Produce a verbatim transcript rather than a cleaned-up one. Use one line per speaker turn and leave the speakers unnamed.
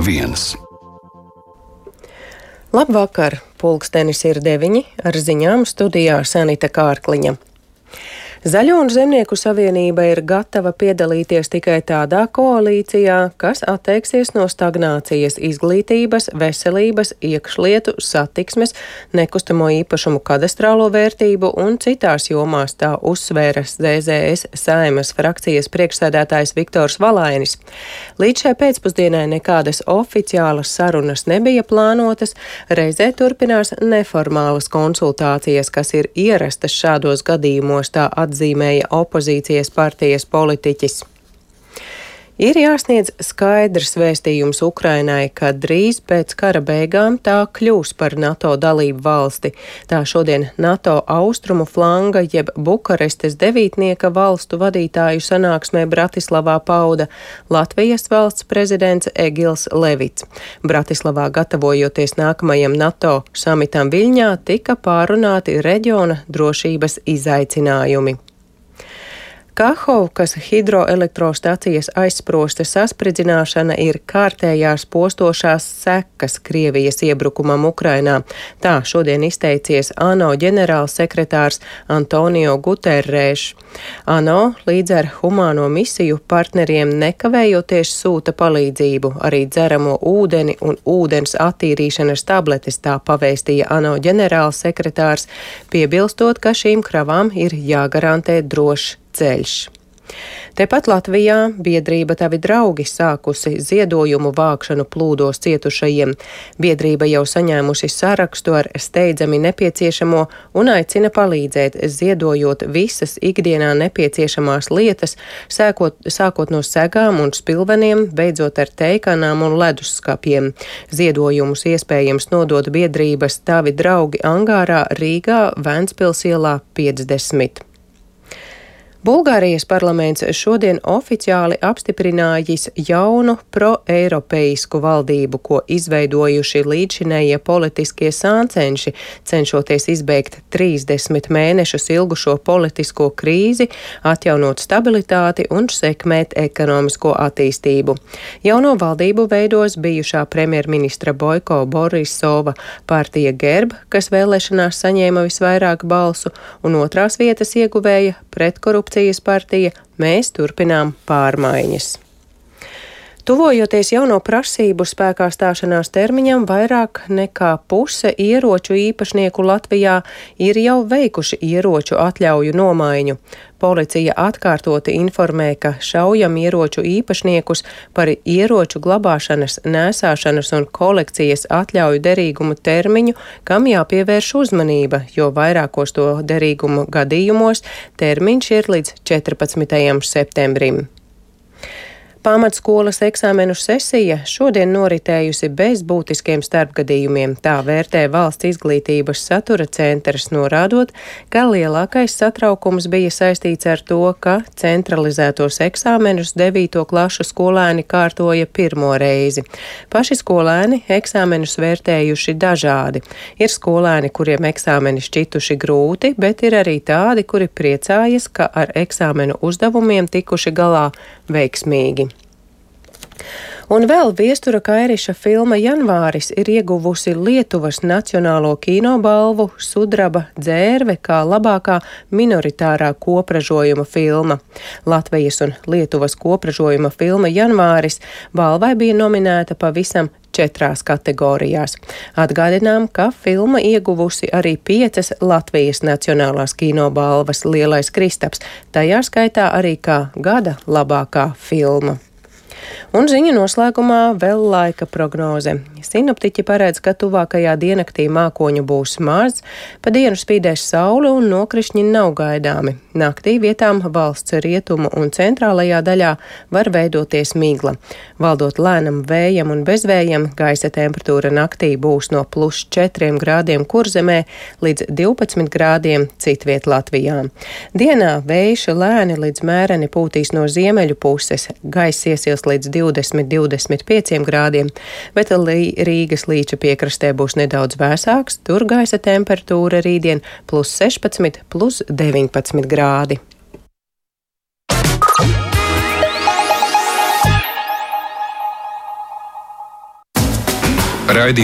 viens.
Labvakar! Pulkstenis ir deviņi, ar ziņām studijā Sanita Kārkliņa. Zaļo un Zemnieku savienība ir gatava piedalīties tikai tādā koalīcijā, kas atteiksies no stagnācijas izglītības, veselības, iekšlietu, satiksmes, nekustamo īpašumu kadastrālo vērtību un citās jomās, tā uzsvēra Z Z S Saeimas frakcijas priekšsēdētājs Viktors Valainis. Līdz šai pēcpusdienai nekādas oficiālas sarunas nebija plānotas, reizē turpinās neformālas konsultācijas, kas ir ierastas šādos gadījumos, tā atzīmēja opozīcijas partijas politiķis. Ir jāsniedz skaidrs vēstījums Ukrainai, ka drīz pēc kara beigām tā kļūs par NATO dalību valsti. Tā šodien NATO austrumu flanga jeb Bukarestes devītnieka valstu vadītāju sanāksmē Bratislavā pauda Latvijas valsts prezidents Egils Levits. Bratislavā gatavojoties nākamajam NATO samitam Viļņā tika pārunāti reģiona drošības izaicinājumi. Kahovkas hidroelektrostacijas aizsprosta saspridzināšana ir kārtējās postošās sekas Krievijas iebrukumam Ukrainā. Tā šodien izteicies ANO ģenerālsekretārs Antonio Guterres. ANO līdz ar humāno misiju partneriem nekavējoties sūta palīdzību, arī dzeramo ūdeni un ūdens attīrīšanas tabletes, tā pavēstīja ANO ģenerālsekretārs, piebilstot, ka šīm kravām ir jāgarantē drošs ceļš. Tepat Latvijā biedrība Tavi draugi sākusi ziedojumu vākšanu plūdos cietušajiem. Biedrība jau saņēmusi sarakstu ar steidzami nepieciešamo un aicina palīdzēt, ziedojot visas ikdienā nepieciešamās lietas, sākot, sākot no segām un spilveniem, beidzot ar teikanām un ledusskapiem. Ziedojumus iespējams nodot biedrības Tavi draugi angārā Rīgā, Ventspils ielā piecdesmit. Bulgārijas parlaments šodien oficiāli apstiprinājis jaunu pro-eiropeisku valdību, ko izveidojuši līdzšinējie politiskie sāncenši, cenšoties izbeigt trīsdesmit mēnešus ilgušo politisko krīzi, atjaunot stabilitāti un sekmēt ekonomisko attīstību. Jauno valdību veidos bijušā premjerministra Boiko Borisova partija Gerb, kas vēlēšanās saņēma visvairāk balsu, un otrās vietas ieguvēja pretkorupcijas partija Mēs turpinām pārmaiņas. Tuvojoties jauno prasību spēkā stāšanās termiņam, vairāk nekā puse ieroču īpašnieku Latvijā ir jau veikuši ieroču atļauju nomaiņu. Policija atkārtoti informē, ka šaujam ieroču īpašniekus par ieroču glabāšanas, nēsāšanas un kolekcijas atļauju derīgumu termiņu, kam jāpievērš uzmanība, jo vairākos to derīgumu gadījumos termiņš ir līdz četrpadsmitajam septembrim. Pamatskolas eksāmenu sesija šodien noritējusi bez būtiskiem starpgadījumiem. Tā vērtē Valsts izglītības satura centrs, norādot, ka lielākais satraukums bija saistīts ar to, ka centralizētos eksāmenus devīto klašu skolēni kārtoja pirmo reizi. Paši skolēni eksāmenus vērtējuši dažādi. Ir skolēni, kuriem eksāmeni šķituši grūti, bet ir arī tādi, kuri priecājas, ka ar eksāmenu uzdevumiem tikuši galā veiksmīgi. Un vēl Viestura Kairiša filma Janvāris ir ieguvusi Lietuvas Nacionālo kinobalvu Sudraba dzērve kā labākā minoritārā kopražojuma filma. Latvijas un Lietuvas kopražojuma filma Janvāris balvai bija nominēta pavisam četrās kategorijās. Atgādinām, ka filma ieguvusi arī piecas Latvijas Nacionālās kinobalvas Lielais Kristaps, tajā skaitā arī kā gada labākā filma. Un ziņu noslēgumā vēl laika prognoze. Sinoptiķi paredz, ka tuvākajā diennaktī mākoņu būs maz, pa dienu spīdēs saule un nokrišņi nav gaidāmi. Naktī vietām valsts rietumu un centrālajā daļā var veidoties migla. Valdot lēnam vējam un bezvējam, gaisa temperatūra naktī būs no plus četriem grādiem Kurzemē līdz divpadsmit grādiem citviet Latvijā. Dienā vējš lēni līdz mēreni pūtīs no ziemeļu puses, gaiss iesils līdz divdesmit līdz divdesmit pieciem grādiem, bet Rīgas līča piekrastē būs nedaudz vēsāks, tur gaisa temperatūra rītdien plus sešpadsmit, plus deviņpadsmit grādi.
Raidījums